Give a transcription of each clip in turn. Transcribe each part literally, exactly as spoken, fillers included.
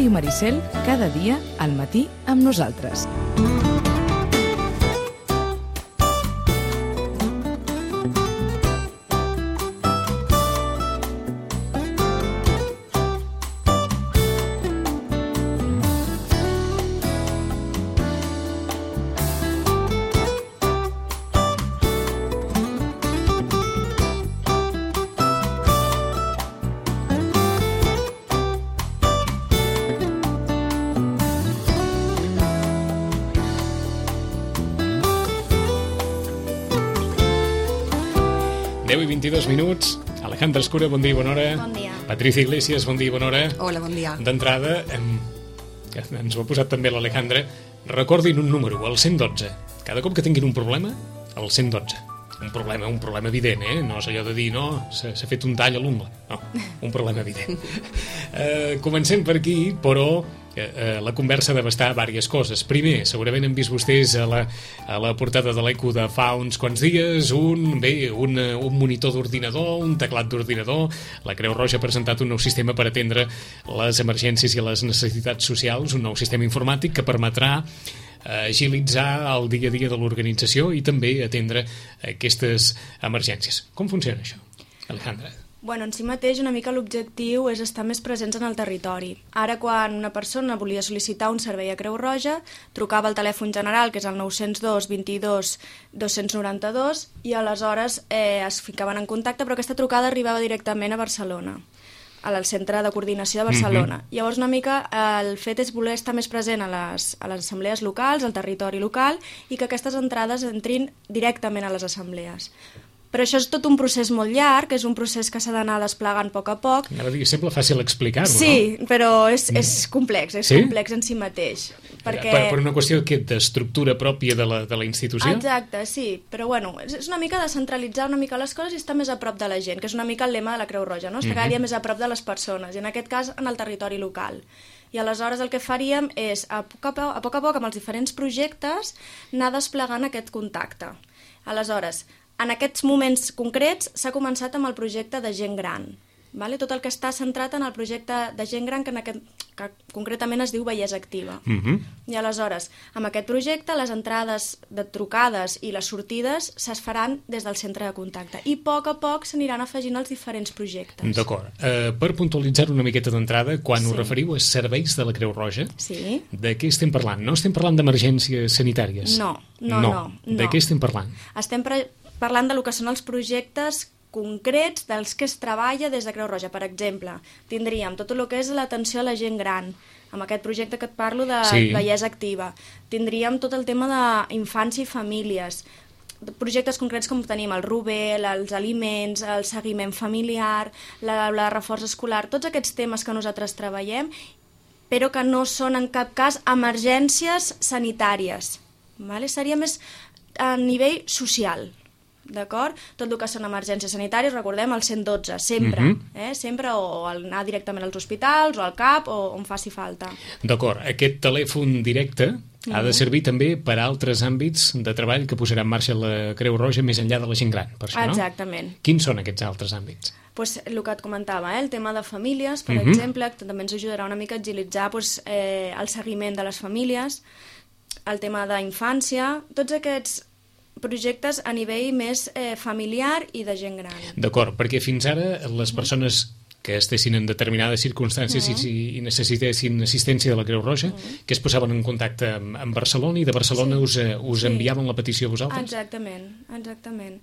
Ràdio Maricel, cada dia al matí amb nosaltres. deu i vint-i-dos minuts. Alejandra Escura, bon dia i bona hora. Bon dia. Patricia Iglesias, bon dia i bona hora. Hola, bon dia. D'entrada, em... que ens ho ha posat també l'Alejandra, recordin un número, el cent dotze. Cada cop que tinguin un problema, el cent dotze. Un problema, un problema evident, eh? No és allò de dir, no, s'ha fet un tall a l'ungla. No, un problema evident. Uh, comencem per aquí, però uh, la conversa ha d'abastar diverses coses. Primer, segurament han vist vostès a la, a la portada de l'Eco de fa uns quants dies un, bé, un, un monitor d'ordinador, un teclat d'ordinador. La Creu Roja ha presentat un nou sistema per atendre les emergències i les necessitats socials, un nou sistema informàtic que permetrà agilitzar el dia a dia de l'organització i també atendre aquestes emergències. Com funciona això, Alejandra? Bueno, en si mateix una mica l'objectiu és estar més presents en el territori. Ara, quan una persona volia sol·licitar un servei a Creu Roja, trucava al telèfon general, que és el nou cents dos vint-i-dos dos-cents noranta-dos, i aleshores eh, es ficaven en contacte, però aquesta trucada arribava directament a Barcelona, al Centre de Coordinació de Barcelona. Mm-hmm. Llavors, una mica, el fet és voler estar més present a les, a les assemblees locals, al territori local, i que aquestes entrades entrin directament a les assemblees. Però això és tot un procés molt llarg, és un procés que s'ha d'anar desplegant a poc a poc. Ara dir, sembla fàcil explicar-ho, sí, no? Sí, però és, és complex, és sí? complex en si mateix. Perquè... Per, per una qüestió d'estructura pròpia de la, de la institució? Exacte, sí, però bueno, és una mica descentralitzar una mica les coses i estar més a prop de la gent, que és una mica el lema de la Creu Roja, no? Estar cada dia més a prop de les persones, i en aquest cas en el territori local. I aleshores el que faríem és, a poc a poc, a poc, a poc amb els diferents projectes, anar desplegant aquest contacte. Aleshores, en aquests moments concrets s'ha començat amb el projecte de gent gran. Vale? Tot el que està centrat en el projecte de gent gran que, en aquest, que concretament es diu Vellesa Activa. Uh-huh. I aleshores, amb aquest projecte, les entrades de trucades i les sortides es faran des del centre de contacte. I a poc a poc s'aniran afegint els diferents projectes. D'acord. Uh, per puntualitzar una miqueta d'entrada, quan sí. us referiu a serveis de la Creu Roja, sí. de què estem parlant? No estem parlant d'emergències sanitàries? No, no, no. no. De què estem parlant? Estem pre- parlant del que són els projectes concrets dels que es treballa des de Creu Roja. Per exemple, tindríem tot el que és l'atenció a la gent gran, amb aquest projecte que et parlo de sí. Vellesa Activa. Tindríem tot el tema d'infància i famílies, projectes concrets com tenim el Rubé, els aliments, el seguiment familiar, la, la reforç escolar, tots aquests temes que nosaltres treballem, però que no són en cap cas emergències sanitàries. Vale? Seria més a nivell social. D'acord? Tot el que són emergències sanitàries, recordem el cent dotze, sempre, uh-huh. eh? sempre o anar directament als hospitals o al CAP o on faci falta. D'acord, aquest telèfon directe uh-huh. ha de servir també per a altres àmbits de treball que posarà en marxa la Creu Roja més enllà de la gent gran, per això, no? Exactament. Quins són aquests altres àmbits? Pues, el que et comentava, eh? el tema de famílies, per uh-huh. exemple, que també ens ajudarà una mica a agilitzar pues, eh, el seguiment de les famílies, el tema d'infància, tots aquests projectes a nivell més eh, familiar i de gent gran. D'acord, perquè fins ara les persones que estessin en determinades circumstàncies uh-huh. i, i necessitessin assistència de la Creu Roja, uh-huh. que es posaven en contacte amb, amb Barcelona i de Barcelona sí. us, us sí. enviaven la petició a vosaltres? Exactament, exactament.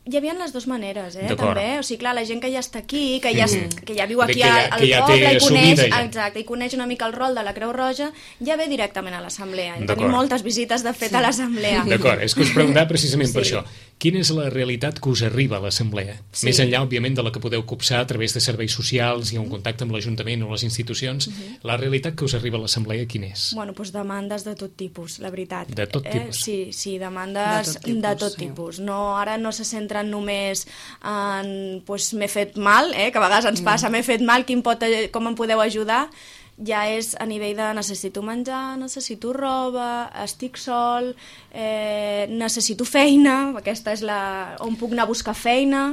Hi havia les dues maneres, eh, també. O sigui, clar, la gent que ja està aquí, que ja, mm. que ja viu aquí ja, al ja poble i coneix, ja. exacte, i coneix una mica el rol de la Creu Roja, ja ve directament a l'assemblea. Tenim moltes visites, de fet, sí. a l'assemblea. D'acord, és que us preguntava precisament sí. per això. Quina és la realitat que us arriba a l'assemblea? Sí. Més enllà, òbviament, de la que podeu copsar a través de serveis socials i un contacte amb l'Ajuntament o les institucions, uh-huh. la realitat que us arriba a l'assemblea, quina és? Bueno, doncs demandes de tot tipus, la veritat. De tot tipus? Eh, sí, sí, demandes de tot tipus. De tot tipus. No, ara no se centren només en, pues, m'he fet mal, eh, que a vegades ens passa, m'he fet mal, quin pot, com em podeu ajudar? Ja és a nivell de necessito menjar, necessito roba, estic sol, eh, necessito feina, aquesta és la... on puc anar a buscar feina,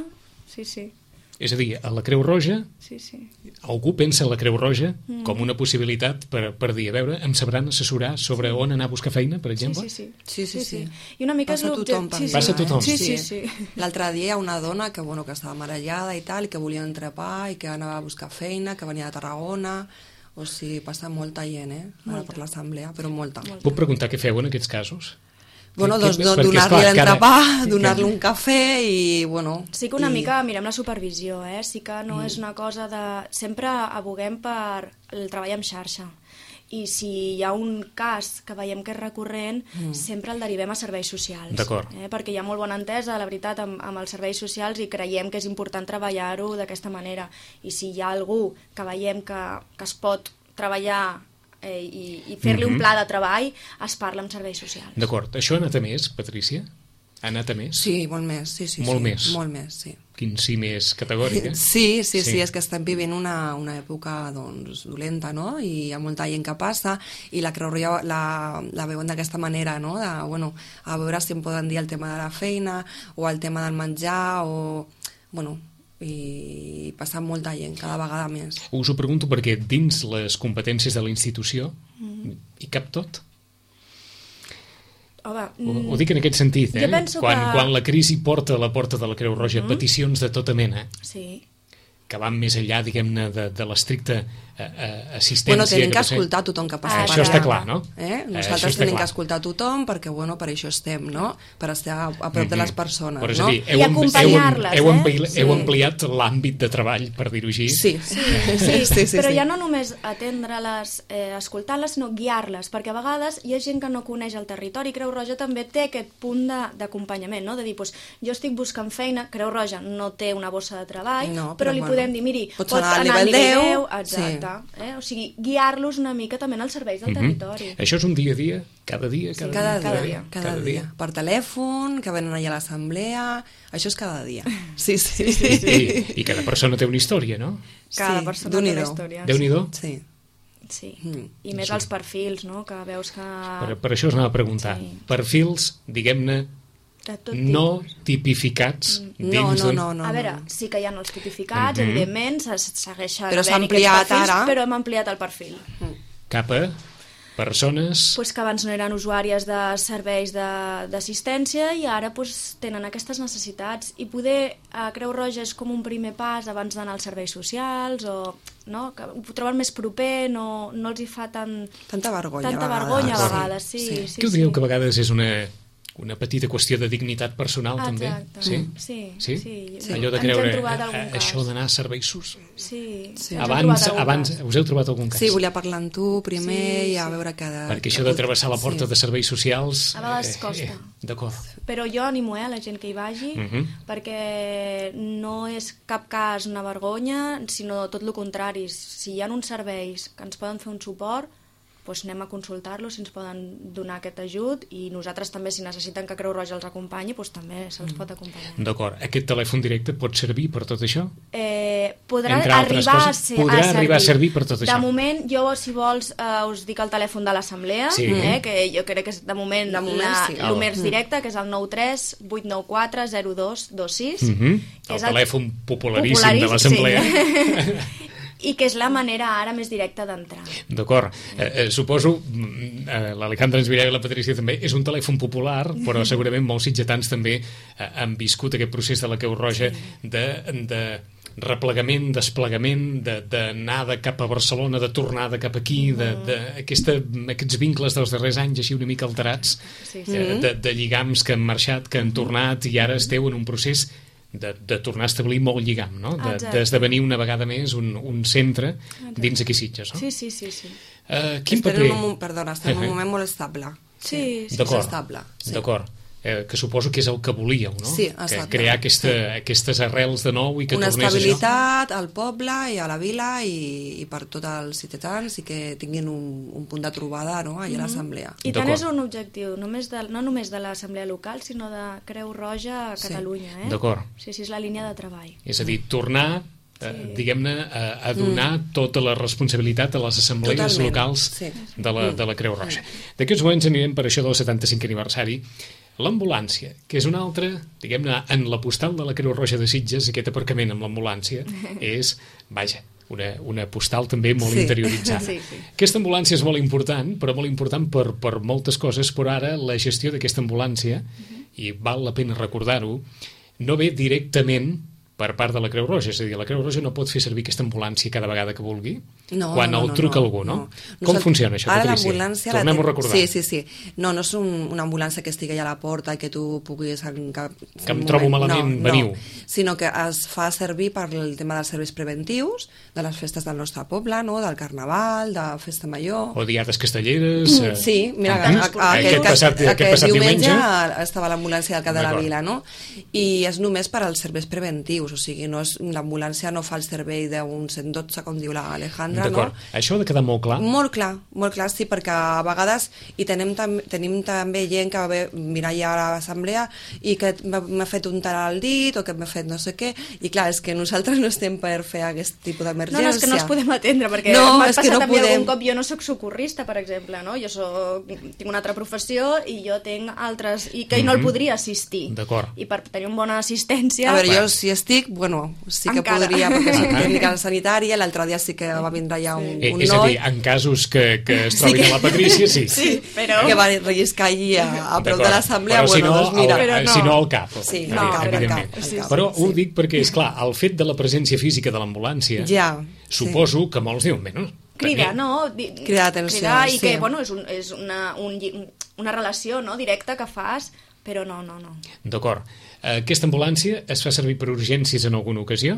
sí, sí. És a dir, a la Creu Roja, sí, sí. algú pensa en la Creu Roja mm. com una possibilitat per, per dir, a veure, em sabran assessorar sobre on anar a buscar feina, per exemple? Sí, sí. Sí, sí, sí. sí. I una mica passa és tothom per sí, mi. sí. Passa a tothom. Sí, sí, sí. L'altre dia hi ha una dona que, bueno, que estava marejada i tal, i que volia entrepar i que anava a buscar feina, que venia de Tarragona. O sigui, passa molta gent, eh? Ara per l'assemblea, però molta. molta. Puc preguntar què feu en aquests casos? Bueno, que, doncs que, donar-li l'entrepà, cada... donar-li un cafè i, bueno... Sí que una i... mica mirem la supervisió, eh? Sí que no mm. és una cosa de... Sempre aboguem per el treball en xarxa. I si hi ha un cas que veiem que és recurrent, mm. sempre el derivem a serveis socials. D'acord. Eh? Perquè hi ha molt bona entesa, la veritat, amb, amb els serveis socials i creiem que és important treballar-ho d'aquesta manera. I si hi ha algú que veiem que, que es pot treballar eh, i, i fer-li mm-hmm. un pla de treball, es parla amb serveis socials. D'acord. Això ha anat a més, Patrícia? Ha anat a més? Sí, molt més, sí, sí. Molt sí, més? Molt més, sí. Quin sí més categòric, eh? Sí, sí, sí, sí, és que estem vivint una, una època, doncs, dolenta, no? I hi ha molta gent que passa, i la Creu Roja la, la veuen d'aquesta manera, no? De, bueno, a veure si em poden dir el tema de la feina, o el tema del menjar, o... Bueno, i passa molta gent, cada vegada més. Us ho pregunto perquè dins les competències de la institució mm. hi cap tot? Home, ho, ho dic en aquest sentit, eh? Quan, que... quan la crisi porta a la porta de la Creu Roja mm. peticions de tota mena, sí. que van més enllà, diguem-ne, de, de l'estricta uh, assistència... Bueno, tenim que, que escoltar tothom que passa ah, per això allà. està clar, no? Eh? Nosaltres tenim que escoltar tothom perquè, bueno, per això estem, no? Per estar a, a prop mm-hmm. de les persones, però és no? a dir, heu, I acompanyar-les, heu, heu, eh? heu, heu ampliat l'àmbit de treball, per dir-ho així. Sí, sí, sí, sí, sí, sí però sí. ja no només atendre-les, eh, escoltar-les, sinó guiar-les, perquè a vegades hi ha gent que no coneix el territori. Creu Roja també té aquest punt d'acompanyament, no? De dir, doncs, jo estic buscant feina, Creu Roja no té una bossa de treball, no, però, però li bueno, podem dir, miri, pots anar al nivell deu, exacte. Sí. Eh? O sigui, guiar-los una mica també als serveis del mm-hmm. territori. Això és un dia a dia? Cada dia? Cada, sí, cada, dia, cada dia, dia? Cada, cada dia. dia. Per telèfon, que venen allà a l'assemblea... Això és cada dia. Sí, sí. sí, sí, sí. I, I cada persona té una història, no? Cada sí, persona té una història. Déu-n'hi-do? Sí. Sí, mm. i més sí. els perfils, no? Que veus que... Per, per això us anava a preguntar. Sí. Perfils, diguem-ne, no tipificats mm. dins no, no, no, no, a veure, sí que hi ha els tipificats, mm-hmm. evidentment, se segueixen però s'ha ampliat perfils, ara. Però hem ampliat el perfil. Mm. Cap a persones... Pues que abans no eren usuàries de serveis d'assistència i ara pues, tenen aquestes necessitats. I poder a Creu Roja és com un primer pas abans d'anar als serveis socials o... No? Que ho troben més proper, no, no els hi fa tan... Tanta vergonya tanta a vegades. vergonya a vegades, sí. sí. sí. Què ho dieu sí. que a vegades és una... una petita qüestió de dignitat personal, ah, també. Sí? Sí? Sí, sí? sí. Allò de creure, a, això d'anar a serveis socials. Sí, sí. Abans, abans us heu trobat algun cas? Sí, volia parlar amb tu primer sí, i a sí. veure cada... Perquè això de travessar la porta sí. de serveis socials... A vegades costa. Eh, eh, D'acord. Però jo animo eh, a la gent que hi vagi, uh-huh. perquè no és cap cas una vergonya, sinó tot el contrari. Si hi ha uns serveis que ens poden fer un suport, doncs anem a consultar-los si ens poden donar aquest ajut i nosaltres també, si necessiten que Creu Roja els acompanyi, doncs també se'ls pot acompanyar. D'acord. Aquest telèfon directe pot servir per tot això? Eh, podrà arribar, a, ser, podrà a, servir. arribar a servir per tot això? De moment, jo, si vols, eh, us dic el telèfon de l'assemblea, sí. eh, que jo crec que és de moment, de moment la, sí. el més directe, que és el nou tres vuit nou quatre zero dos dos sis. Uh-huh. El, el telèfon popularíssim, popularíssim de l'assemblea. Sí. I que és la manera ara més directa d'entrar. D'acord. Eh, eh, suposo, eh, l'Alejandra ens dirà i la Patrícia també, és un telèfon popular, però segurament molts sitgetans també eh, han viscut aquest procés de la Creu Roja sí. de, de replegament, desplegament, d'anar de, de cap a Barcelona, de tornar de cap aquí, de, de, aquesta, aquests vincles dels darrers anys així una mica alterats, sí, sí. Eh, de, de lligams que han marxat, que han tornat, i ara esteu en un procés De, de tornar a establir molt lligam, no? D'esdevenir de, una vegada més un, un centre Exacte. Dins aquí Sitges, no? Sí, sí, sí. sí. Uh, quin estem paper... En un, perdona, estem en un moment molt estable. Sí, sí, d'acord, estable. Sí. D'acord. Eh, que suposo que és el que volíeu, no? Sí, que crear aquesta, sí. aquestes arrels de nou i que una tornés estabilitat això. Al poble i a la vila i, i per tots els ciutadans i que tinguin un, un punt de trobada, no? Allà mm-hmm. a l'assemblea. I tant és un objectiu, només de, no només de l'assemblea local, sinó de Creu Roja a Catalunya. Sí. Eh? D'acord. Sí, sí, és la línia de treball. És a dir, tornar... Sí. Eh, diguem-ne, a, a donar mm. tota la responsabilitat a les assemblees Totalment. locals sí. de, la, de la Creu Roja. D'aquests moments anirem per això del setanta-cinquè aniversari. L'ambulància, que és una altra, diguem-ne, en la postal de la Creu Roja de Sitges, aquest aparcament amb l'ambulància és, vaja, una, una postal també molt sí. interioritzada. Sí, sí. Aquesta ambulància és molt important, però molt important per, per moltes coses, però ara la gestió d'aquesta ambulància, uh-huh. i val la pena recordar-ho, no ve directament per part de la Creu Roja, és a dir, la Creu Roja no pot fer servir aquesta ambulància cada vegada que vulgui no, quan no, el no, truca no, algú, no? no. Com funciona això, ara Patrícia? Tornem-ho a recordar. Sí, sí, sí. No, no és un, una ambulància que estigui a la porta i que tu puguis... En cap, que em trobo malament, no, veniu. No, sinó que es fa servir per el tema dels serveis preventius, de les festes del nostre poble, no? Del Carnaval, de Festa Major... O diades castelleres... Mm, sí, mira, a, a, a, a, aquest, aquest, passat, aquest, aquest passat diumenge... diumenge estava l'ambulància del Cap de la Vila, no? I és només per als serveis preventius, o sigui, no és, l'ambulància no fa el servei d'un cent dotze, com diu l'Alejandra, no? D'acord, això ha de quedar molt clar? Molt clar, molt clar, sí, perquè a vegades i tenim, tam tenim també gent que va bé mirar ja a l'assemblea i que m'ha fet un tal al dit o que m'ha fet no sé què, i clar, és que nosaltres no estem per fer aquest tipus d'emergència. No, no, és que no els podem atendre, perquè no, m'ha passat no també podem. algun cop, jo no soc socorrista, per exemple, no? Jo soc, tinc una altra professió i jo tinc altres, i que mm-hmm. no el podria assistir. D'acord. I per tenir una bona assistència... A veure, jo si estic, bueno, sí que encara. podria, perquè soc tècnica sanitària, l'altre dia sí que va vindre ja un, sí. un eh, és noi... És a dir, en casos que, que es trobin sí que... a la Patrícia, sí. Sí, però... Que va relliscar allí a, a prop de l'assemblea, però bueno, si no, doncs mira... El, no. si no al cap. Sí, no, al cap, evidentment. al cap, al cap. Però sí. ho dic perquè, és clar, el fet de la presència física de l'ambulància, ja, suposo sí. que molts diuen, bé, no? Cridar, no? Cridar atenció, Cridar i sí. que, bueno, és, un, és una, un, una relació no, directa que fas, però no, no, no. D'acord. Aquesta ambulància es fa servir per urgències en alguna ocasió?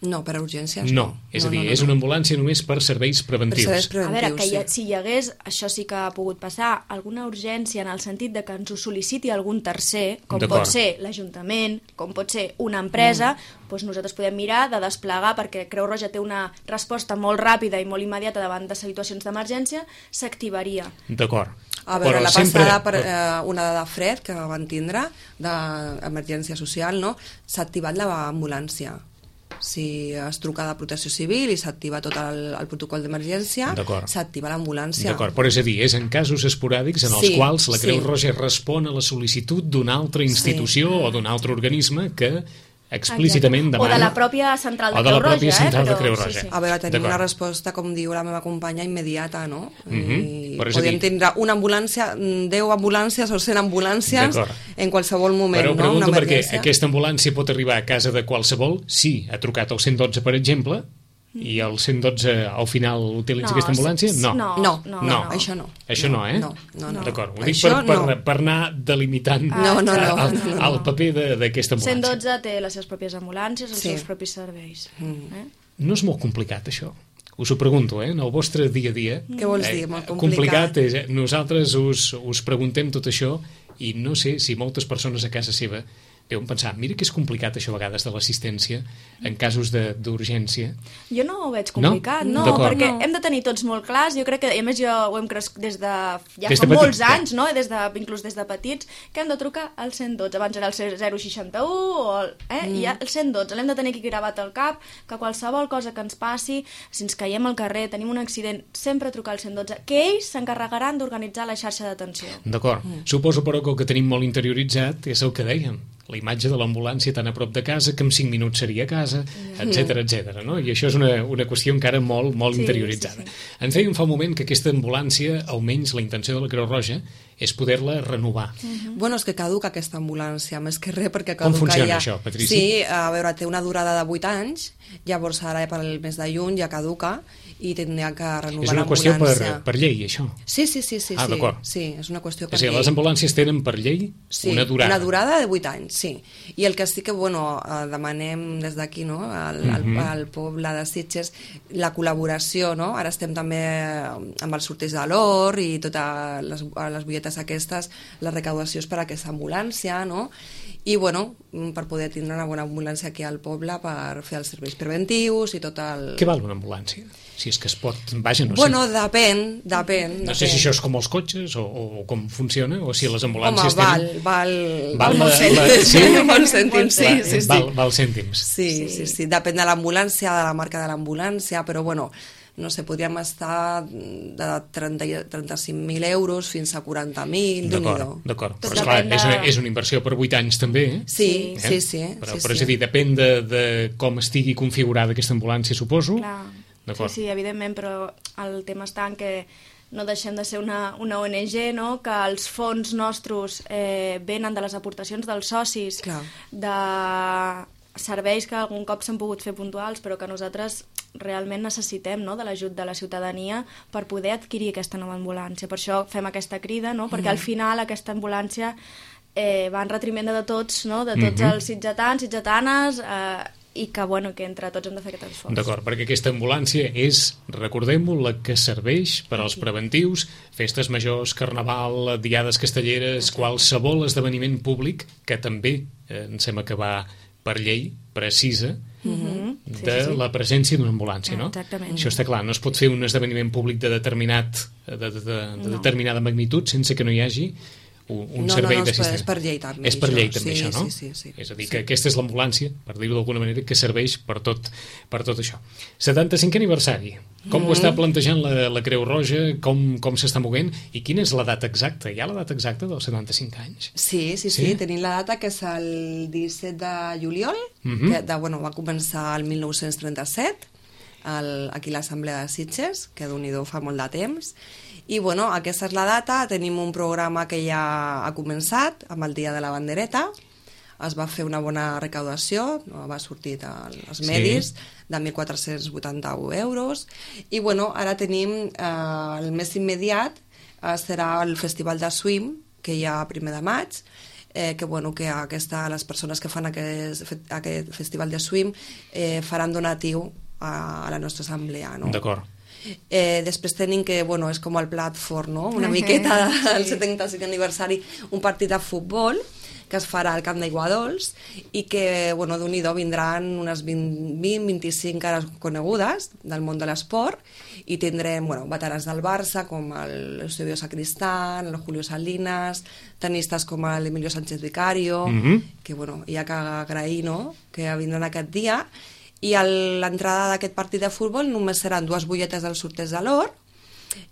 No, per urgències no. no. És no, a dir, no, no, és una ambulància només per serveis preventius. Per serveis preventius, a veure, que hi ha, sí. si hi hagués, això sí que ha pogut passar, alguna urgència en el sentit de que ens ho sol·liciti algun tercer, com pot ser l'Ajuntament, com pot ser una empresa, mm. doncs nosaltres podem mirar de desplegar, perquè Creu Roja té una resposta molt ràpida i molt immediata davant de situacions d'emergència, s'activaria. D'acord. A veure, però la sempre... passada per eh, una de fred que van tindre, d'emergència social, no? S'ha activat l'ambulància. Si es truca de Protecció Civil i s'activa tot el, el protocol d'emergència, s'activa l'ambulància. D'acord, però és a dir, és en casos esporàdics en els sí, quals la Creu sí. Roja respon a la sol·licitud d'una altra institució sí. o d'un altre organisme que explícitament demana... O de la pròpia central de Creu Roja. O de la pròpia central eh? de Creu Roja. Sí, sí. A veure, tenim una resposta, com diu la meva companya, immediata, no? Mm-hmm. I podem tindre una ambulància, deu ambulàncies o cent ambulàncies en qualsevol moment, però, no? Però pregunto una perquè aquesta ambulància pot arribar a casa de qualsevol, sí, ha trucat al cent dotze, per exemple, i el cent dotze al final utilitza no, aquesta ambulància? No. No, no, no, no, no. Això no. Això no, eh? No, no, no. D'acord, ho dic per, per, no. per anar delimitant ah, no, no, no, el, no, no. el paper d'aquesta ambulància. cent dotze té les seves pròpies ambulàncies, els sí. seus propis serveis. Mm. Eh? No és molt complicat, això? Us ho pregunto, eh? En el vostre dia a dia. Què vols dir, eh, molt complicat? Complicat és, eh? Nosaltres us, us preguntem tot això i no sé si moltes persones a casa seva deuen pensar, mira que és complicat això a vegades de l'assistència en casos d'urgència. Jo no ho veig complicat, no, no perquè no. hem de tenir tots molt clars, jo crec que, a més jo ho hem crescut des de ja des fa de molts petit, anys, no? des de, inclús des de petits, que hem de trucar al cent dotze, abans era el zero seixanta-u, o el, eh? mm. i el cent dotze, l'hem de tenir aquí gravat al cap, que qualsevol cosa que ens passi, si ens caiem al carrer, tenim un accident, sempre trucar al cent dotze, que ells s'encarregaran d'organitzar la xarxa d'atenció. D'acord, mm. suposo però que el que tenim molt interioritzat és el que dèiem, la imatge de l'ambulància tan a prop de casa que en cinc minuts seria a casa, etcètera, etcètera, no? I això és una, una qüestió encara molt, molt sí, interioritzada. Sí, sí. Ens dèiem fa un moment que aquesta ambulància, almenys la intenció de la Creu Roja, és poder-la renovar. Uh-huh. Bueno, és que caduca aquesta ambulància, més que res, perquè caduca. Com funciona ja... això, Patrícia? Sí, a veure, té una durada de vuit anys, llavors ara per al mes de juny ja caduca, i tindria que renovar l'ambulància. És una qüestió per, per llei, això? Sí, sí, sí. sí ah, d'acord. Sí, és una qüestió per és a dir, llei. les ambulàncies tenen per llei sí, una durada. una durada de vuit anys, sí. I el que sí que, bueno, demanem des d'aquí, no?, al, uh-huh. al, al poble de Sitges, la col·laboració, no? Ara estem també amb els sorteig de l'or i totes les, les butlletes aquestes, les recaudacions per a aquesta ambulància, no?, i bueno, per poder tindre una bona ambulància aquí al poble per fer els serveis preventius i tot el... Què val una ambulància? Si és que es pot... Vaja, no bueno, sé. depèn, depèn. No depèn. sé si això és com els cotxes o, o com funciona, o si les ambulàncies Home, val, tenen... val, val, val molts cèntims. Sí, molts cèntims, sí, sí, sí. Val, val cèntims. Sí, sí, sí, sí. Depèn de l'ambulància, de la marca de l'ambulància, però bueno, no sé, podríem estar de trenta, trenta-cinc mil euros fins a quaranta mil, d'acord, d'acord. Però esclar, de... és, una, és una inversió per vuit anys també, eh? Sí, eh? sí, sí. Però, sí, però sí. és a dir, depèn de, de com estigui configurada aquesta ambulància, suposo. Clar, sí, sí, evidentment, però el tema està en que no deixem de ser una, una O N G, no? Que els fons nostres eh, venen de les aportacions dels socis, Clar. de serveis que algun cop s'han pogut fer puntuals, però que nosaltres realment necessitem, no? De l'ajut de la ciutadania per poder adquirir aquesta nova ambulància. Per això fem aquesta crida, no? Perquè mm. al final aquesta ambulància eh, va en retriment de tots, no? De tots mm -hmm. els sitgetans, sitgetanes, eh, i que, bueno, que entre tots hem de fer aquest esforç. D'acord, perquè aquesta ambulància és, recordem-ho, la que serveix per als preventius, festes majors, carnaval, diades castelleres, okay. qualsevol esdeveniment públic, que també eh, em sembla que va per llei, precisa, mm-hmm. de sí, sí. la presència d'una ambulància, no? Exactament. Això està clar, no es pot fer un esdeveniment públic de determinat de, de, de, de no. determinada magnitud sense que no hi hagi un, un no, servei no, no, d'assistència. És per llei també. És per això. llei també sí, això, no? Sí, sí, sí. És a dir, sí. que aquesta és l'ambulància, per dir-ho d'alguna manera, que serveix per tot, per tot això. setanta-cinquè aniversari. Com mm -hmm. ho està plantejant la, la Creu Roja? Com, com s'està movent? I quina és la data exacta? Hi ha la data exacta dels setanta-cinc anys? Sí, sí, sí, sí. Tenim la data que és el disset de juliol, mm -hmm. que de, bueno, va començar el mil nou-cents trenta-set, el, aquí a l'Assemblea de Sitges, que d'un-i-do fa molt de temps. I bueno, aquesta és la data, tenim un programa que ja ha començat amb el Dia de la Bandereta, es va fer una bona recaudació, va sortir als medis, sí. de mil quatre-cents vuitanta-u euros, i bueno, ara tenim eh, el més immediat, eh, serà el Festival de Swim, que hi ha a primer de maig, eh, que, bueno, que aquesta, les persones que fan aquest, aquest Festival de Swim eh, faran donatiu a, a la nostra assemblea, no? D'acord. Eh, després tenim que, bueno, és com el plat fort, no? Una miqueta del setanta-cinc aniversari, un partit de futbol que es farà al Camp d'Aiguadols i que, bueno, d'un-i-do vindran unes vint vint-i-cinc cares conegudes del món de l'esport i tindrem, bueno, veterans del Barça com l'Eusebio Sacristán, el Julio Salinas, tenistes com l'Emilio Sánchez Vicario, mm-hmm. que, bueno, hi ha que agrair, no?, que vindran aquest dia. I a l'entrada d'aquest partit de futbol només seran dues butlletes del sorteig de l'or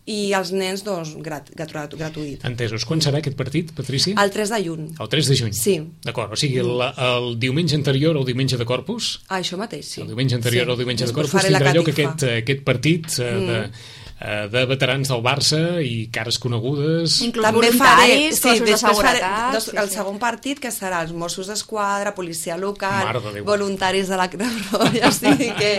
i els nens, doncs, grat, grat, gratuït. Entesos. Quan serà aquest partit, Patrícia? El tres de juny. El tres de juny? Sí. D'acord, o sigui, el, el diumenge anterior al diumenge de Corpus? Ah, això mateix, sí. El diumenge anterior sí. al diumenge de Després Corpus tindrà lloc catifa. aquest, aquest partit eh, mm. de... de veterans del Barça i cares conegudes. Inclús també voluntaris, faré, sí, cossos de seguretat. Faré, dos, sí, el sí. segon partit, que serà els Mossos d'Esquadra, policia local, de voluntaris de la Creu Roja, o sigui que...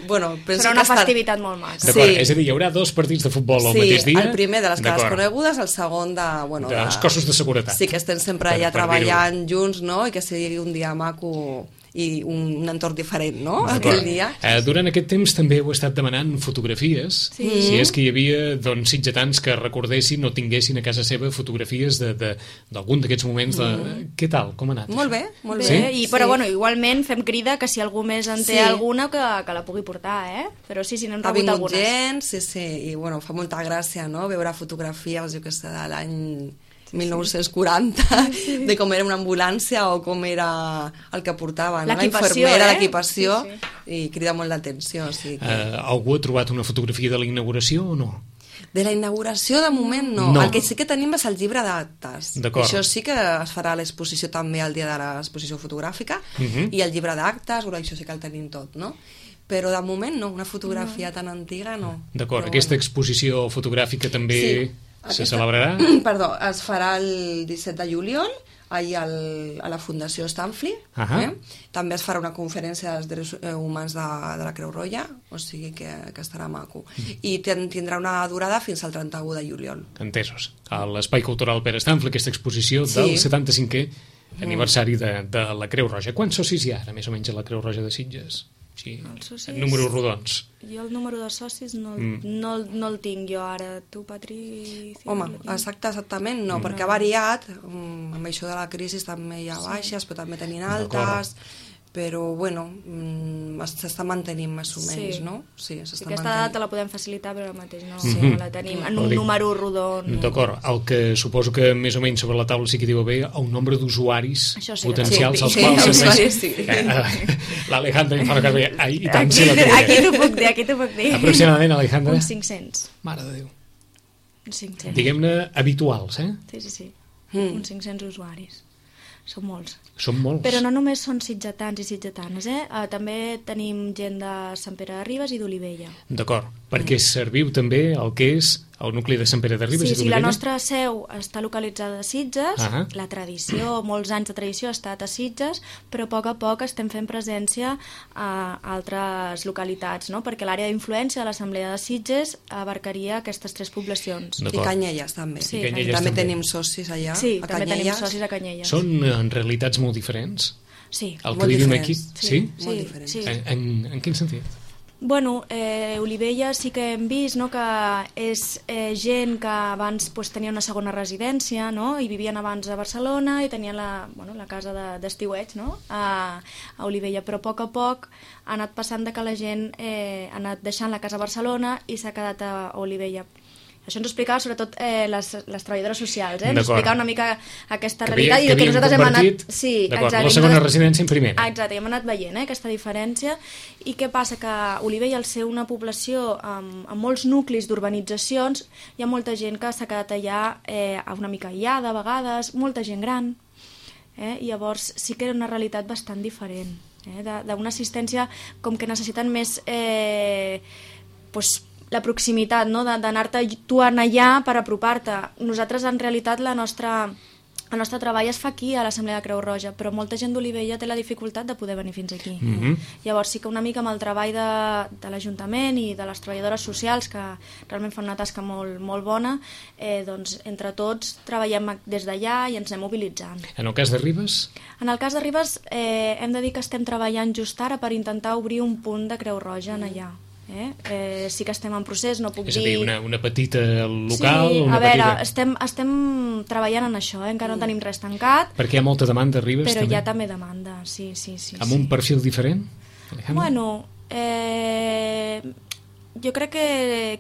Bueno, penso serà una que festivitat estar... molt maca. D'acord, sí. És a dir, hi haurà dos partits de futbol al sí, mateix dia? El primer de les cares conegudes, el segon de... Bueno, dels de... cossos de seguretat. Sí, que estem sempre allà treballant junts, no?, i que sigui un dia maco i un, un entorn diferent, no?, aquell dia. Eh, durant aquest temps també heu estat demanant fotografies, sí. si és que hi havia, doncs, sitgetans que recordessin o tinguessin a casa seva fotografies d'algun d'aquests moments. De... Mm. Què tal? Com ha anat? Molt bé, molt bé. Sí? I, però, sí. bueno, igualment fem crida que si algú més en té sí. alguna, que, que la pugui portar, eh? Però sí, sí, n'hem rebut algunes. Ha vingut gent, sí, sí, i, bueno, fa molta gràcia, no?, veure fotografies, jo que sé, de l'any... mil nou-cents quaranta, sí. de com era una ambulància o com era el que portava, no? La infermera, eh? L'equipació, sí, sí. I crida molt l'atenció. O sigui que... uh, algú ha trobat una fotografia de la inauguració o no? De la inauguració, de moment, no. no. El que sí que tenim és el llibre d'actes. Això sí que es farà a l'exposició també el dia de l'exposició fotogràfica, uh -huh. i el llibre d'actes, bueno, això sí que el tenim tot, no? Però de moment no, una fotografia no. tan antiga no. D'acord, aquesta bueno. exposició fotogràfica també... Sí. Se celebrarà? Perdó, es farà el disset de juliol allà al, a la Fundació Stanfli. Uh -huh. eh? També es farà una conferència dels drets humans de, de la Creu Roja, o sigui que, que estarà maco. Mm. I ten, tindrà una durada fins al trenta-u de juliol. Entesos. A l'Espai Cultural Pere Stanfli, aquesta exposició sí. del setanta-cinquè mm. aniversari de, de la Creu Roja. Quants socis hi ha ara, més o menys, a la Creu Roja de Sitges? Sí, socis... en números rodons. Jo el número de socis no, mm. no, no el tinc jo ara. Tu, Patri... Home, exacte, exactament no, mm. perquè ha variat. Um, amb això de la crisi també hi ha baixes, sí. però també tenien altes, però bueno, s'està mantenint més o menys, sí. no? Sí, s'està Aquesta mantenint. Data la podem facilitar, però ara mateix no, sí. mm-hmm. no la tenim en un número rodó. No. D'acord, el que suposo que més o menys sobre la taula sí que diu haver el nombre d'usuaris sí potencials sí, als sí, quals sí, serveix. Sí, sí. L'Alejandra em fa que bé, ai, i tant, aquí, sí la té. Aquí t'ho puc dir, aquí t'ho puc dir. Aproximadament, Alejandra? Uns cinc-cents. Mare de Déu. Uns cinc-cents. Diguem-ne habituals, eh? Sí, sí, sí. Mm. Uns cinc-cents usuaris. Són molts. Són molts. Però no només són sitgetans i sitgetanes, eh? Uh, també tenim gent de Sant Pere de Ribes i d'Olivella. D'acord, perquè mm. serviu també el que és el nucli de Sant Pere de Ribes sí, i d'Olivella? Sí, la nostra seu està localitzada a Sitges, uh -huh. la tradició, molts anys de tradició ha estat a Sitges, però a poc a poc estem fent presència a altres localitats, no? Perquè l'àrea d'influència de l'Assemblea de Sitges abarcaria aquestes tres poblacions. I Canyelles també. Sí, I Canyelles també, també tenim socis allà. Sí, a també Canyelles. tenim socis a Canyelles. Són en realitats molt diferents? Sí, el molt que vivim diferents. aquí? Sí, sí? sí, molt diferents. Sí. En, en, en quin sentit? Bueno, eh, Olivella sí que hem vist, no?, que és eh, gent que abans pues, tenia una segona residència, no?, i vivien abans a Barcelona i tenien la, bueno, la casa d'estiueig, de, no?, a, a Olivella, però a poc a poc ha anat passant de que la gent eh, ha anat deixant la casa a Barcelona i s'ha quedat a Olivella. Això ens ho explicava sobretot eh, les, les treballadores socials, eh? Ens explicava una mica aquesta que realitat havia, i que, que nosaltres hem anat... Sí, exacte, la segona residència en primera. Exacte, i hem anat veient eh, aquesta diferència. I què passa? Que Olivella, al ser una població amb, amb molts nuclis d'urbanitzacions, hi ha molta gent que s'ha quedat allà eh, una mica aïllada a vegades, molta gent gran. Eh? I llavors sí que era una realitat bastant diferent, eh? d'una assistència com que necessiten més... Eh, pues, la proximitat, no?, d'anar-te tu allà per apropar-te. Nosaltres, en realitat, la nostra, el nostre treball es fa aquí, a l'Assemblea de Creu Roja, però molta gent d'Olivella té la dificultat de poder venir fins aquí. Mm-hmm. Llavors, sí que una mica amb el treball de, de l'Ajuntament i de les treballadores socials, que realment fan una tasca molt, molt bona, eh, doncs, entre tots, treballem des d'allà i ens anem mobilitzant. En el cas de Ribes? En el cas de Ribes, eh, hem de dir que estem treballant just ara per intentar obrir un punt de Creu Roja en allà. Eh? Eh, sí que estem en procés, no puc dir... És a dir, una, una petita local... Sí, una a veure, petita... estem, estem treballant en això, eh? Encara no tenim res tancat. Perquè hi ha molta demanda a Ribes, però també? Però hi ha també demanda, sí, sí, sí. Amb sí. un perfil diferent? Alejandra? Bueno, eh, jo crec que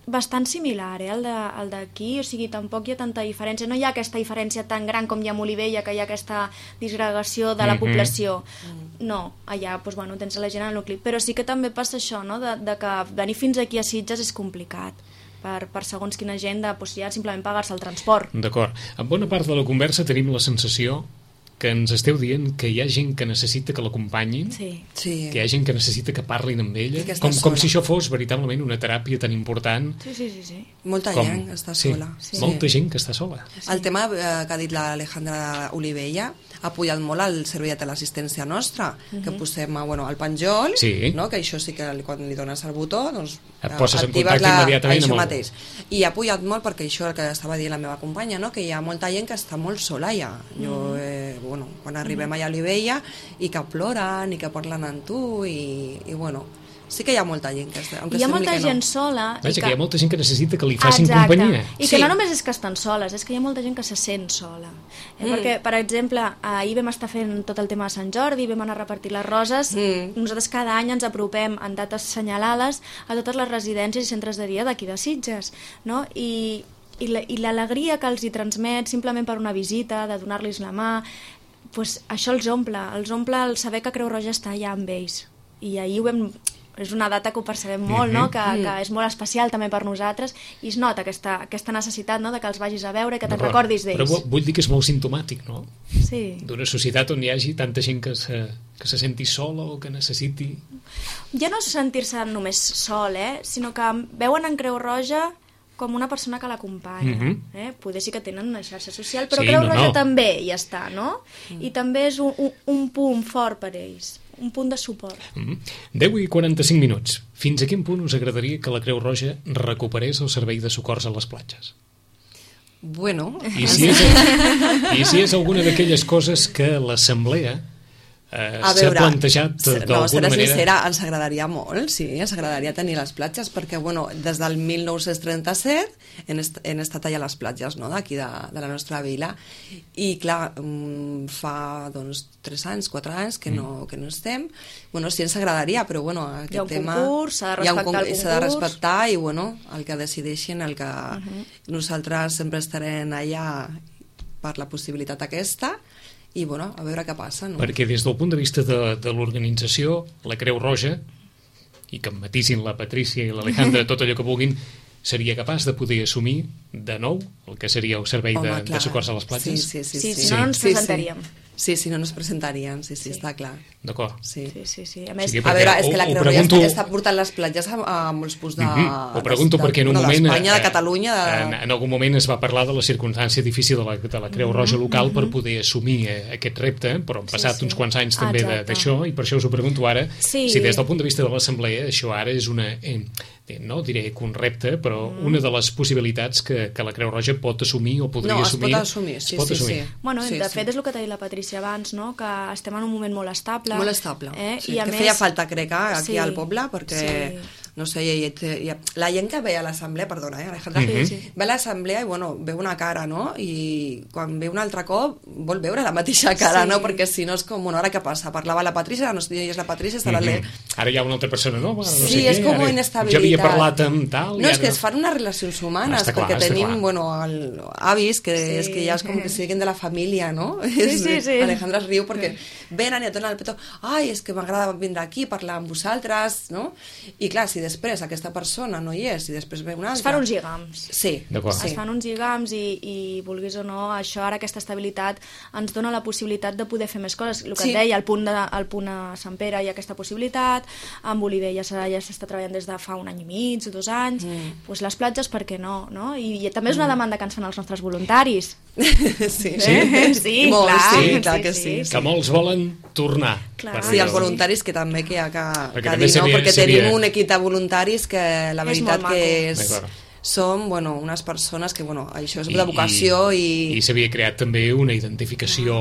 bastant similar, eh, el d'aquí, o sigui, tampoc hi ha tanta diferència, no hi ha aquesta diferència tan gran com hi ha a Olivella, que hi ha aquesta disgregació de la mm-hmm. població. No, allà doncs, bueno, tens la gent al nucli, però sí que també passa això, no?, de, de que venir fins aquí a Sitges és complicat per, per segons quina gent de doncs, ja simplement pagar-se el transport. D'acord. En bona part de la conversa tenim la sensació que ens esteu dient que hi ha gent que necessita que l'acompanyin, sí. Sí. que hi ha gent que necessita que parlin amb ella, com, com si això fos veritablement una teràpia tan important. Sí, sí, sí. sí. Molta com... gent està sola. Sí, sí. Molta gent que està sola. Sí. El tema eh, que ha dit l'Alejandra Olivella ha apoyat molt el servei de teleassistència nostra, uh-huh. que posem bueno, al penjoll, sí. no? Que això sí que quan li dones el botó doncs, et poses en contacte la, immediatament amb el... mateix. I ha apoyat molt perquè això el que estava dient la meva companya, no? Que hi ha molta gent que està molt sola ja. Jo, eh, bueno, quan arribem allà a Olivella i que ploren i que parlen amb tu i, i bueno, sí que hi ha molta gent que està, hi ha molta gent no. sola Vaja, i que... que hi ha molta gent que necessita que li facin Exacte. companyia i que sí. no només és que estan soles, és que hi ha molta gent que se sent sola eh? mm. perquè, per exemple, ahir vam estar fent tot el tema de Sant Jordi, vam anar a repartir les roses mm. nosaltres cada any ens apropem en dates assenyalades a totes les residències i centres de dia d'aquí de Sitges, no? i i l'alegria que els hi transmet simplement per una visita, de donar-los la mà, pues això els omple, els omple el saber que Creu Roja està allà amb ells. I ahir ho vam... és una data que ho percebem molt, mm-hmm. no? que, que és molt especial també per nosaltres i es nota aquesta, aquesta necessitat, no? de que els vagis a veure i que te'n recordis d'ells. Però vull dir que és molt simptomàtic, no? Sí. D'una societat on hi hagi tanta gent que se, que se senti sola o que necessiti... Ja no és sentir-se només sol, eh? sinó que veuen en Creu Roja com una persona que l'acompanya. Mm-hmm. eh? Poder sí que tenen una xarxa social, però sí, Creu Roja no, no. també hi està, no? Mm. I també és un, un, un punt fort per ells, un punt de suport. Mm. deu i quaranta-cinc minuts. Fins a quin punt us agradaria que la Creu Roja recuperés el servei de socors a les platges? Bueno... I si és, i si és alguna d'aquelles coses que l'Assemblea eh, s'ha plantejat d'alguna no, serà manera... sincera, ens agradaria molt, sí, ens agradaria tenir les platges, perquè, bueno, des del mil nou-cents trenta-set hem, est hem estat allà a les platges, no?, d'aquí de, de la nostra vila, i clar, fa, doncs, tres anys, quatre anys que no, que no estem. Bueno, sí, ens agradaria, però, bueno, aquest hi ha un tema... concurs, s'ha de respectar el concurs. S'ha de respectar i, bueno, el que decideixin, el que uh -huh. nosaltres sempre estarem allà per la possibilitat aquesta, i, bueno, a veure què passa, no? Perquè des del punt de vista de, de l'organització, la Creu Roja, i que em matisin la Patrícia i l'Alejandra tot allò que vulguin, seria capaç de poder assumir de nou el que seria el servei Home, de, de socors a les platges? Sí, sí, sí. Sí, sí, si no, no ens presentaríem. Sí, sí. Sí, si no, no es presentarien, sí, sí, sí. Està clar. D'acord. Sí. Sí, sí, sí. A més, sí, a veure, és que la Creu Roja pregunto... està, està portant les platges a, a molts punts de... Mm -hmm. Ho pregunto de, perquè en un no, moment... d'Espanya, de Catalunya... De... En, en algun moment es va parlar de la circumstància difícil de la, de la Creu Roja local mm -hmm. per poder assumir eh, aquest repte, però han passat sí, sí. uns quants anys també d'això, i per això us ho pregunto ara, sí. si des del punt de vista de l'Assemblea això ara és una... Eh, no diré que un repte, però mm. una de les possibilitats que, que la Creu Roja pot assumir o podria no, assumir. No, es pot assumir, sí, pot sí, assumir. sí. Bueno, sí, de sí. fet és el que t'ha dit la Patrícia abans, no?, que estem en un moment molt estable. Molt estable, eh? sí, I a que més... feia falta, crec, aquí sí, al poble, perquè... Sí. No sé, i, i, i, la gent que ve a l'assemblea, perdona, eh, Alejandra, sí, sí. ve a l'assemblea i, bueno, veu una cara, no?, i quan ve un altre cop vol veure la mateixa cara, sí. no?, perquè si no és com, bueno, ara què passa? Parlava la Patrícia, no sé, és la Patrícia, està mm -hmm. la... Ara hi ha una altra persona nova, no sí, sé què. És com ara... inestabilitat. Jo havia parlat amb tal... No, és que no... es fan unes relacions humanes, clar, perquè tenim, clar. bueno, el, avis, que sí. és que ja és com que siguin de la família, no? Sí, sí, sí. Alejandra es riu perquè venen i et donen el petó, ai, és que m'agrada vindre aquí, parlar amb vosaltres, no? I clar, si després aquesta persona persona no hi és i després ve una altra... Es fan uns lligams. Sí. sí. Es fan uns lligams i, i vulguis o no, això ara, aquesta estabilitat ens dona la possibilitat de poder fer més coses. El que sí. et deia, al punt, de, al punt a Sant Pere hi ha aquesta possibilitat, amb Oliver ja s'està treballant des de fa un any i mig, dos anys, mm. pues les platges, per què no? no? I, i també és una demanda que ens fan els nostres voluntaris. sí, eh? sí, sí, Molt, clar, sí, clar sí, que sí, sí. sí. Que molts volen tornar. Clar. Sí, els voluntaris que també que hi ha que, perquè que dir, seria, no? Perquè seria... tenim un equip de voluntaris que la veritat és que és... Som, bueno, unes persones que, bueno, això és I, de vocació i... I, i s'havia creat també una identificació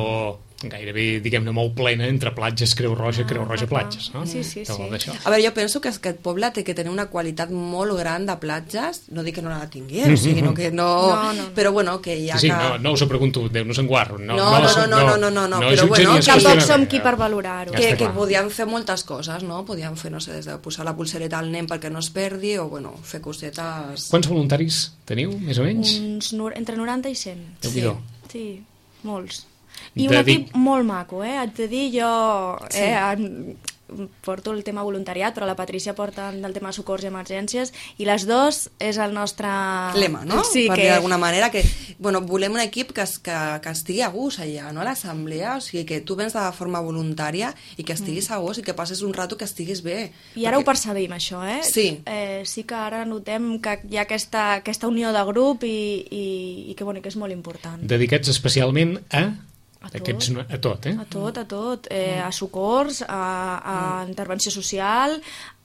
gairebé, diguem-ne, molt plena entre platges, Creu Roja, Creu Roja, platges, no? Sí, sí, sí. A veure, jo penso que aquest poble té que tenir una qualitat molt gran de platges, no dic que no la tingués, mm -hmm. o sigui, no que no... no, no. Però, bueno, que hi ha sí, que... no, no us ho pregunto, Déu-nos en guard. No, no, no, no, no, no, no, no, no, però, bueno, tampoc som qui per valorar-ho. Que, que podíem fer moltes coses, no? Podíem fer, no sé, des de posar la pulsereta al nen perquè no es perdi, o, bueno, fer cosetes... Quants voluntaris teniu, més o menys? Uns no, entre noranta i cent. Sí, sí, molts. I un equip molt maco, eh? Haig de dir, jo eh, sí. porto el tema voluntariat, però la Patrícia porta el tema socors i emergències, i les dos és el nostre... lema, no? Sí, per que... dir d'alguna manera, que bueno, volem un equip que, que, que estigui a gust allà, no? A l'assemblea, o sigui, que tu vens de forma voluntària i que estiguis a gust i que passes un rato que estiguis bé. I ara perquè... ho percebim, això, eh? Sí. Eh, sí que ara notem que hi ha aquesta, aquesta unió de grup i, i, i que, bueno, que és molt important. Dedicats especialment a... A tot, Aquests, a tot, eh? A tot, a tot. Eh, a socors, a, a mm. intervenció social,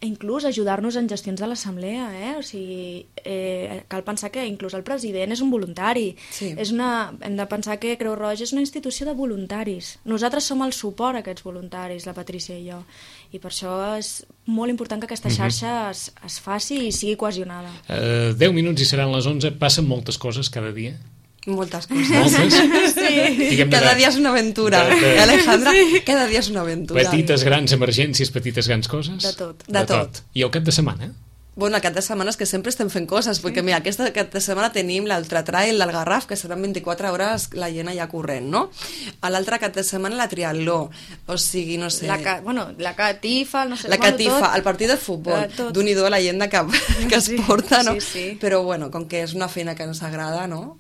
inclús ajudar-nos en gestions de l'assemblea, eh? O sigui, eh, cal pensar que inclús el president és un voluntari. Sí. És una, hem de pensar que Creu Roja és una institució de voluntaris. Nosaltres som el suport a aquests voluntaris, la Patrícia i jo. I per això és molt important que aquesta xarxa mm-hmm. es, es faci i sigui cohesionada. Uh, deu minuts i seran les onze. Passen moltes coses cada dia. Moltes coses. Moltes? Sí. Cada dia és una aventura. De, de... Alejandra, sí. Cada dia és una aventura. Petites, grans emergències, petites, grans coses? De tot. De, de tot. tot. I el cap de setmana? Bueno, el cap de setmana és que sempre estem fent coses, perquè mira, aquesta cap de setmana tenim l'altre trail, el Garraf, que seran vint-i-quatre hores la gent allà corrent, no? A l'altre cap de setmana la triatló, o sigui, no sé... La, ca... bueno, la catifa, no sé... La catifa, el partit de futbol, d'un i do a la gent que, que es porta, no? Sí, sí. Però, bueno, com que és una feina que ens agrada, no?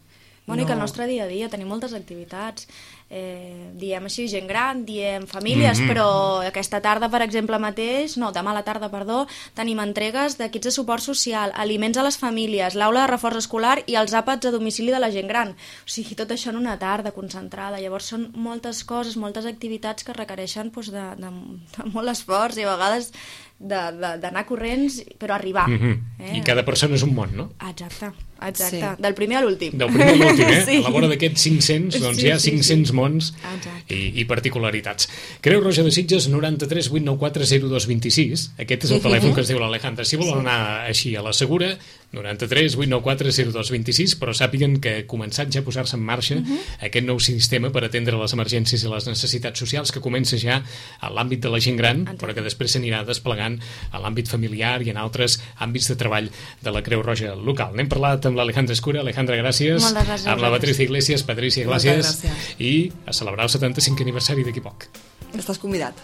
Bueno, no. I que el nostre dia a dia tenim moltes activitats, eh, diem així gent gran, diem famílies, mm-hmm. però aquesta tarda, per exemple, mateix, no, demà a la tarda, perdó, tenim entregues d'equips de suport social, aliments a les famílies, l'aula de reforç escolar i els àpats a domicili de la gent gran. O sigui, tot això en una tarda concentrada. Llavors són moltes coses, moltes activitats que requereixen doncs, de, de, de molt esforç i a vegades d'anar corrents, però arribar. Mm-hmm. eh? I cada persona és un món, no? Exacte, exacte. Sí. Del primer a l'últim. Del primer a l'últim, eh? Sí. A la vora d'aquests cinc-cents, doncs sí, hi ha cinc-cents sí, sí. mons Exacte. i, i particularitats. Creu Roja de Sitges, noranta-tres vuit nou quatre zero dos vint sis. Aquest és el telèfon que es diu l'Alejandra. Si volen anar així a la segura, noranta-tres vuit nou quatre zero dos vint sis, però sàpiguen que ha començat ja a posar-se en marxa uh -huh. aquest nou sistema per atendre les emergències i les necessitats socials, que comença ja a l'àmbit de la gent gran, però que després s'anirà desplegant a l'àmbit familiar i en altres àmbits de treball de la Creu Roja local. N'hem parlat amb l'Alejandra Escura. Alejandra, gràcies. Moltes gràcies. Amb la Patricia Iglesias. Patricia, gràcies. I a celebrar el setanta-cinquè aniversari d'aquí poc. Estàs convidat.